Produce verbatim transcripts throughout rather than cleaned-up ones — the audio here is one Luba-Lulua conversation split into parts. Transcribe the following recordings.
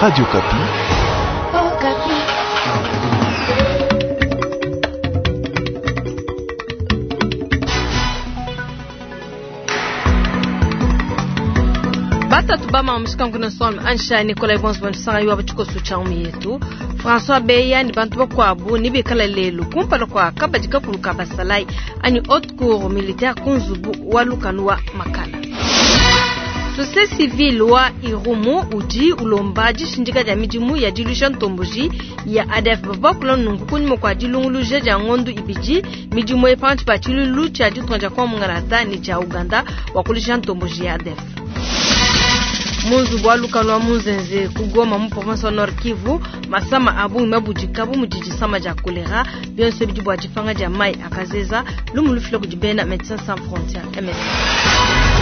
Radio Okapi. Oh, Okapi. Batatu bama mushikangu son ansha Nicolas Bons sanga yuwa bachikosu cha yetu François Beya ni bantu bakwabu ni bikala lelu kumpala kwa kabadi kakulu basalai ani haute cour militaire kunzubu wa lukanu wa makala. Société civile wa Irumu udi ulomba dishindika dia midimu ya dilusha ntomboji ya A D F babakula nungu kunyuma kwa dilunguluja dia ngondu ibidi midimu epantu pa tshilulu tshia ditunga dia kwa mungalata ni tshia Uganda wakulisha ntomboji ya A D F. Munzu wa lukanu wa Munzenze kugoma mu province wa Nord Kivu masama abu mabudika bu mudidi sama dia kolera bionso bidi bua difanga dia mai akazeza lumu lufila kudi bena Médecins Sans Frontières M S F.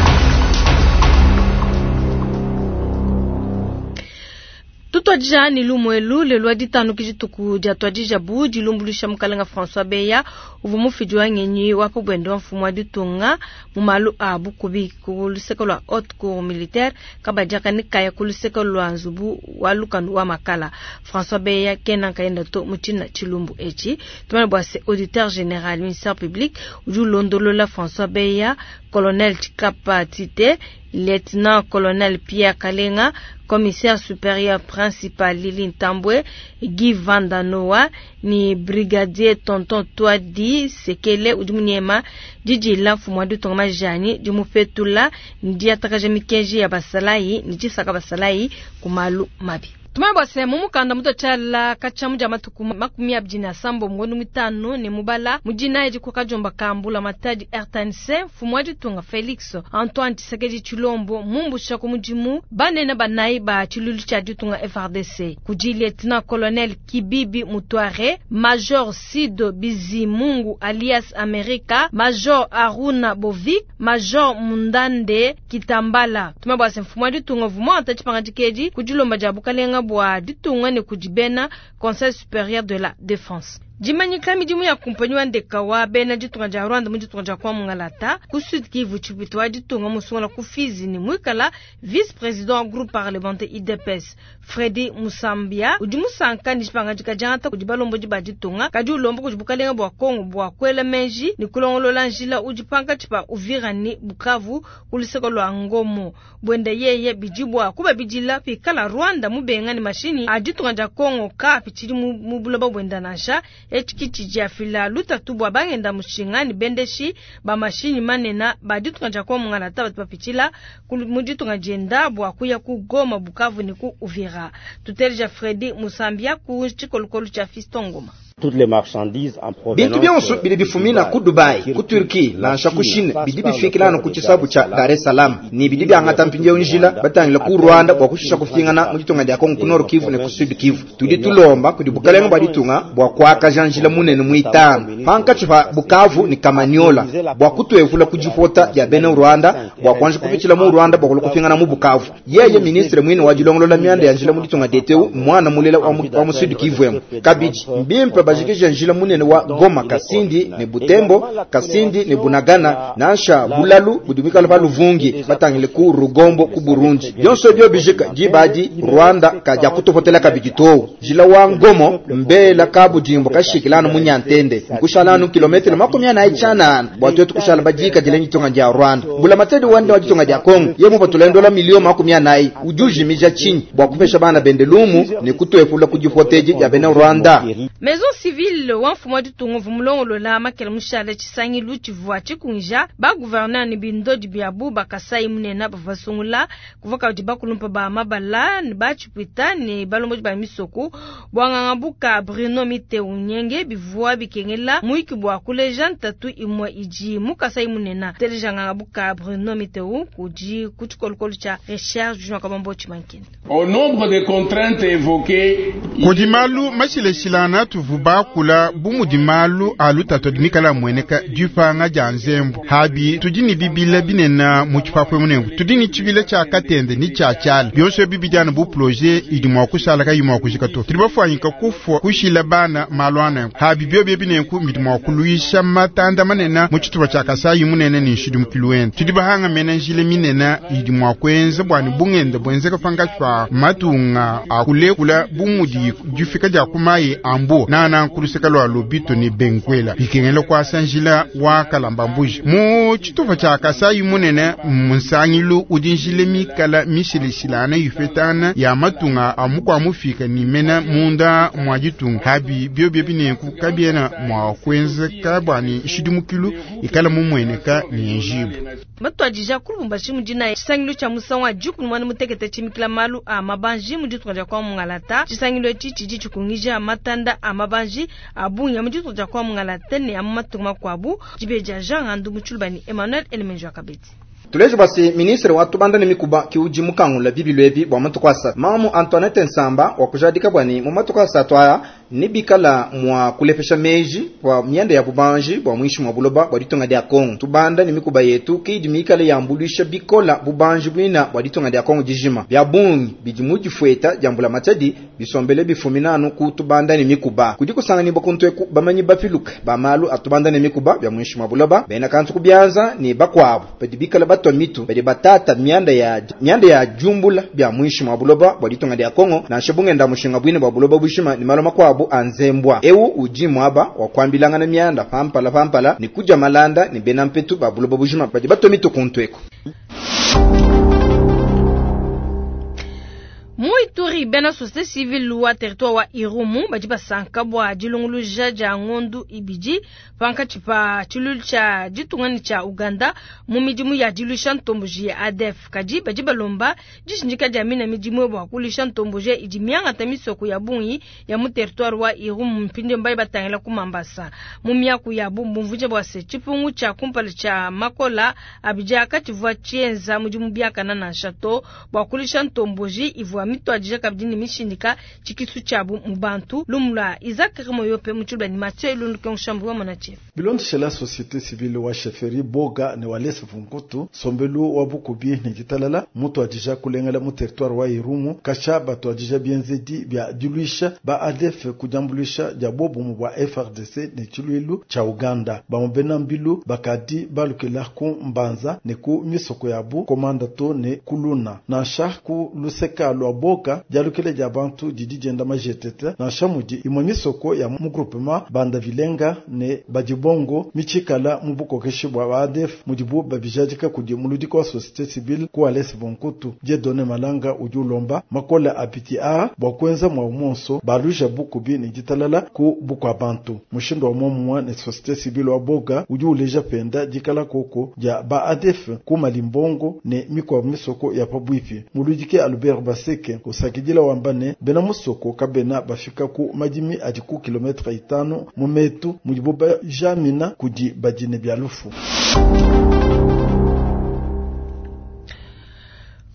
Tutwadija ni lumwelu lelo ditano kijituku dia twadija bu dilumbulusha mukalenga François Beya uvu mufidi wa ngenyi wa pobwendo wa mfumu wa ditunga mu malu a bukubi ku luseke lwa haute cour militaire kabadiaka ni kaya ku luseke lwa nzubu wa lukanu wa makala. François Beya kena kayenda to mutina chilumbu echi tumane bwa se auditeur général ministère public uju londolola François Beya colonel Chikapa Tite lieutenant colonel Pierre Kalenga commissaire supérieur principal Lili Ntambwe Guy Vandanoa ni brigadier Tonton Twadi Sekele udimuniema Didi la mfumu wa ditunga majani dimupetula ndi atakaja mikenji ya basalai ni jisaka basalai kumalu mabi. Tumai bwase mumukanda muto chala kachamu ja matuku makumi abidi na sambo mngondo mitano ni mubala mujina eji kwa kajomba kambula matadi R T N C mfumu wa ditunga Felix Antoine Tshisekedi Tshilombo mumbusha ku mudimu banene banayi ba tshilulu tshia ditunga F R D C kudi lieutenant colonel Kibibi Mutware Major Sido Bizimungu alias America Major Aruna Bovik Major Mundande Kitambala. Tumai bwase mfumu wa ditunga vuma atachipanga dikedi kudilomba ja bukalenga bwa ditunga ne kudibena Conseil supérieur de la défense. Dimanyika midimu ya kumpanyi wa ndeka wa bena ditunga dia Rwanda mu ditunga dia kwa Mungalata ku Sud Kivu tshipito wa ditunga musungula ku Fizi ni mwikala vice-président wa groupe parlementaire I D P S Freddy Musambia udi musanka ni dipanga dika kudi balombo di ba ditunga kadi ulombo kudi bukalenga bwa Kongo bwa kwela menji ni kulongolola njila udi panka tshipa Uvira ni Bukavu ku luseke lwa Ngomo bwenda yeye bidi bwa kuba bidila pikala Rwanda mubenga ni mashini a ditunga dia Kongo ka pitshidi mu, mu buloba bwenda nansha echikichi dia fila lutatu bwa bangenda mushinga ni bendeshi ba mashini manena ba ditunga dia kwa Mungalata batu bapitshila mu ditunga dienda bwa kuya ku Goma Bukavu ni ku Uvira. Tuteleja Freddy Musambia ku tshikolokolo tshia Fiston Ngoma. Toutes les marchandises en provenance bintu byonso bidi bifumina ku Dubai, ku Turquie, nansha ku Chine, bidi bifikilana ku tshisabu tsha Dar es Salaam ni bidi byangata mpindieu njila batangila ku Rwanda bwa kushisha kufingana mu ditunga dia Kongo ku Nord Kivu ne ku Sud Kivu. Tudi tulomba kudi bukalenga bwa ditunga bwa kuakaja njila munene muitano pankatshi pa Bukavu ni Kamanyola bwa kutuevula ku dipota dia bena Rwanda bwa kuanza kupitshila mu Rwanda bwa kulu kufingana mu Bukavu. Yeye ministre mwine wa dilongolola mianda ya njila mu ditunga deteu mwana mulela wa mu, wa mu Sud Kivu emu kabidi mbimpe bajikije njila munene wa Goma Kasindi ne Butembo Kasindi ne Bunagana nansha Bulalu budumikala pa Luvungi batangile ku Rugombo ku Burundi byonso byo bijika dibadi Rwanda kaja kutopotela kabidi to njila wa Ngomo mbela kabudimbo kashikilana munyantende nkushalanu kilometero makumi ana ichanana bwatu kushala bajika dilengi tonga dia Rwanda bula matedi wande wa ditonga dia Kongo yemo batulendo milioni makumi anayi ujuji mija chini bwa kupesha bana bendelumu ne kutoefula kujipoteji ya bena Rwanda. Maison civile wa mfumu wa ditunga vumulongolola makela mushale tshisangilu tshivua tshikunja ba gouverneur ni bindodi biabu bakasai munena bavasungula kuva kadi bakulumpa ba mabala ni batshipwita ni balombodi ba misoko bwanganga buka Bruno Miteu Nyenge bivua bikengela muiki bwa kuleja ntatu imwe idi mukasai munena telejanganga buka Bruno Miteu kudi ku tshikolokolo tsha recherche Jean Kabambo Tshimankenda. Au nombre des contraintes évoquées kudi malu mashileshilana tuvubakula bumudi malu alu tatu mikala mweneka dipanga dia nzembu habi tudi ni bibila binena mu tshipapwe munengu tudi ni tshibila tshia katende ni tshia tshiala byonso bibidiana bu projet idi mua kushala kayi mua kujika to tudi bafua mufwanyika kufwa kushila bana malu anenku habi bio binenku mbidi mwa kuluisha matanda manena mu tshitupa tshia Kasayi munene ni nshidimukilu wende tudi bahanga mena njila minene idi mwa kuenza bwani bungenda bwenzeka pangatshi pa matunga akulekula bumudi difika dia kumayi ambu nana nkuluseka lwa lobito ni benkwela bikengela kwasa njila wa kalamba mbuji mu tshitupa tshia Kasayi munene munsangilu udi njila mikala mishilishilana yifetana ya matunga amukwa mufika ni mena munda mwa ditunga habi bio binenku kabiena mwa kuenzeka bwani nshidimukilu ikala mumweneka ni njibu batwadija kulubumbashi mudina tshisangilu tshia musangu wa dikumi mwana mutekete tshimikila malu a mabanji mu ditunga dia kwa mungalata. Tshisangilu etshi tshidi tshikungija matanda a mabanji a bungi mu ditunga dia kwa mungalata ne a mu matunga makuabu. Dibeja Jean Ngandu mu Tshilubani Emmanuel Elemenjo Akabeti. Tulejo basi ministre wa tubanda ne mikuba kiuji mukangula bibilu ebi bwa matuku asatu. Mamu Antoinette Nsamba wa kujadika bwani mu matuku asatu aya nibikala mwa kulepesha meji bwa mianda ya bubanji bwa mwishi mwa buloba bwa ditunga dia Kongo. Tubanda ne mikuba yetu kidi mikala yambulisha bikola bubanji bwina bwa ditunga dia Kongo dijima. Bya bungi bidi mudifueta jambula matadi bisombele bifuminanu ku tubanda ne mikuba. Kudi kusanga ni bokuntweku bamanyi bapiluka ba malu atubanda ne mikuba bya mwishi mwa buloba bena kantu kubyanza ni bakwabo badi bikala batwa mitu badi batata mianda ya mianda ya jumbula bya mwishi mwa buloba bwa ditunga dia Kongo na shebungenda mushinga bwine bwa buloba bushima ni malo makwabo anzembwa ewu uji mwaba wa kwambilangana mianda pampala pampala ni kuja malanda ni bena mpetu ba buloba bushima badi batwa mitu kuntweko. Muituri bena société civile wa territoire wa Irumu badi basanka bwa dilunguluja dia ngondu ibidi pankatshi pa tshilulu tshia ditungani tshia Uganda mu midimu ya dilusha ntomboji ya A D F kadi badi balomba dishindika dia mina midimu bwa kulisha ntomboji idi miangata misoko ya bungi ya mu territoire wa Irumu mpinde mbaye batangila ku Mambasa mu miaku ya bumvunja bwa se tshipungu tshia kumpala tshia Makola abidja katshivua tshienza mudimu biakana na nshato bwa kulisha ntomboji ivua mitwadija kabidi ni mishindika tshikisu tshiabu mu bantu lumula Isaac Remoyope mu tshilubani Mathieu Ilundu Konshambu wa Monache. Bilondeshela société civile wa chefferie Boga ne walese Vunkutu sombelu wa bukubi ne ditalala mutwadija kulengela mu territoire wa Irumu kasha batwadija bienzedi bya diluisha ba A D F kujambulisha dia bobumu bwa F R D C ne tshiluilu tsha Uganda bamubena mbilu bakadi balukela ku Mbanza ne ku misoko yabu komanda to ne kuluna nansha ku luseka lwa Boka dialukele dia bantu didi dienda majetete nansha mudi imwe misoko ya mu groupement banda vilenga ne badibongo michikala mu bukokeshi bwa A D F mudibu babijadika kudi muludiko wa société civile ku Alesi Vonkutu Dieudonné Malanga udi ulomba makola apiti a bwa kuenza mwa monso baluja bukubi ne ditalala ku bukwa bantu mushindo wa momwa ne société civile wa Boga udi uleja penda dikala koko dia ba A D F ku malimbongo ne mikwa misoko ya pabwipi muludike Albert Baseke kusakidila wambane bena musoko kabena bafika ku madimi adi ku kilometre itano mu metu mudibo bajamina kudi badine bya lufu.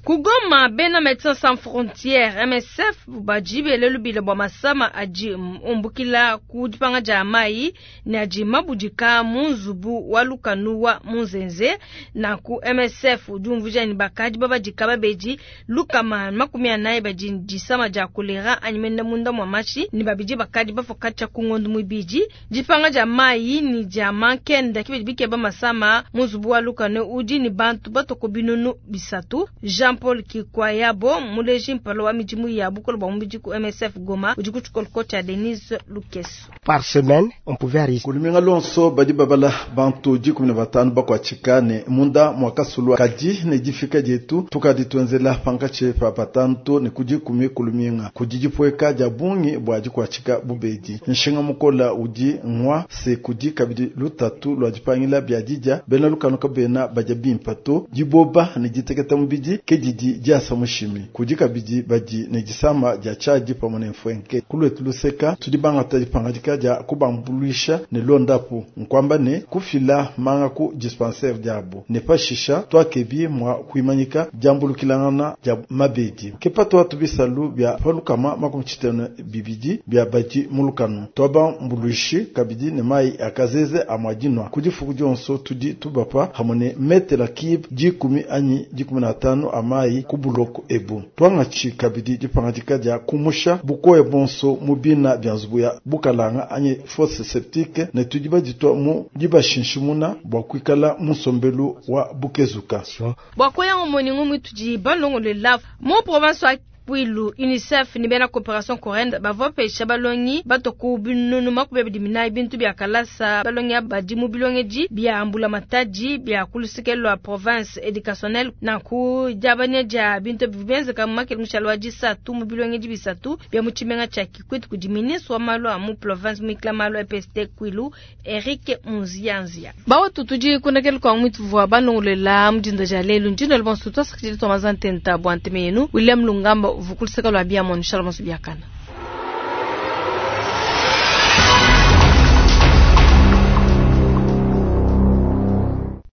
Kugoma bena Médecins Sans Frontières M S F bajibele lubile bwa masama aji umbukila kudipanga ja mai ne aji mabudika munzubu wa lukanu wa munzenze na ku M S F udumvuja ni bakaji babadika babeji lukama makumi anayi baji disama ja kolera anyimenda munda mwa mashi ni babiji bakaji bafokacha kungondu mwibiji dipanga ja mai ni ja mankenda kibedi bikeba masama munzubu wa lukanu udi ni bantu batoko binunu bisatu. Jean Paul Kikwayabo muleji mpalo wa mijimu ya bukolo bwa mubiji ku M S F Goma udi kuchukolo kocha Denise Lukeso. Par semaine on pouvait arriver kuluminga lonso badi babala bantu dikumi na batanu bakwachikane munda mwakasulwa kadi ne difika dietu tukadi twenzela pankache pa patanto ne kudikumi kuluminga kudidipweka dia bungi bwa dikwachika bubedi nshinga mukola udi ngwa se kudi kabidi lutatu lwa dipangila bya didia bena lukanu kabena baja bimpato diboba ne diteketa mubidi ke didi diasa mushimi kudi kabidi badi ne disama dia chadi pamwe ne mfwenke kulwetu luseka tudi bangata dipangadika dia kubambuluisha ne londapu nkwamba ne kufila manga ku dispensaire diabo ne pashisha twakebi mwa kuimanyika diambulukilangana dia mabedi kepa twatu bisalu bya palukama makumi tshitano bibidi bya badi mulukanu twabambuluishi kabidi ne mai akazeze amwadinwa kudifuku dionso tudi tubapa hamwe ne metela kib dikumi anyi dikumi na tano ama mayi ku buloko ebu. Tuangatshi kabidi dipangadika dia kumusha bukoya bonso mu bina bia nzubu ya bukalanga anyi fosse septique ne tudi baditua mu dibashinshimuna bua kuikala mu nsombelu wa bukezuka. Bua koya ngumu ni ngumu itudi balongolola mu province wa Kwilu UNICEF ni bena coopération coréenne bavua pesha balongi bato ku binunu makumi abidi minayi bintu bia kalasa. Balongi badi mu bilongedi bia mbula matadi bia kuluseke lwa province éducationnelle nanku diabanya dia bintu bivenzeka mu makele mushalo wa disatu mu bilongedi bisatu bia mu tshimenga tshia Kikwit kudi ministre wa malu a mu province muikila malu a E P S T Kwilu Eric Munzianzia. Bawa tutudi kunakele kwa mwitu vua balongolela mudinda dia lelu ndino bonso twasakidila twamazantenta bua nteme yenu William Lungamba vukuluseka lwa bia monu shalom biakana.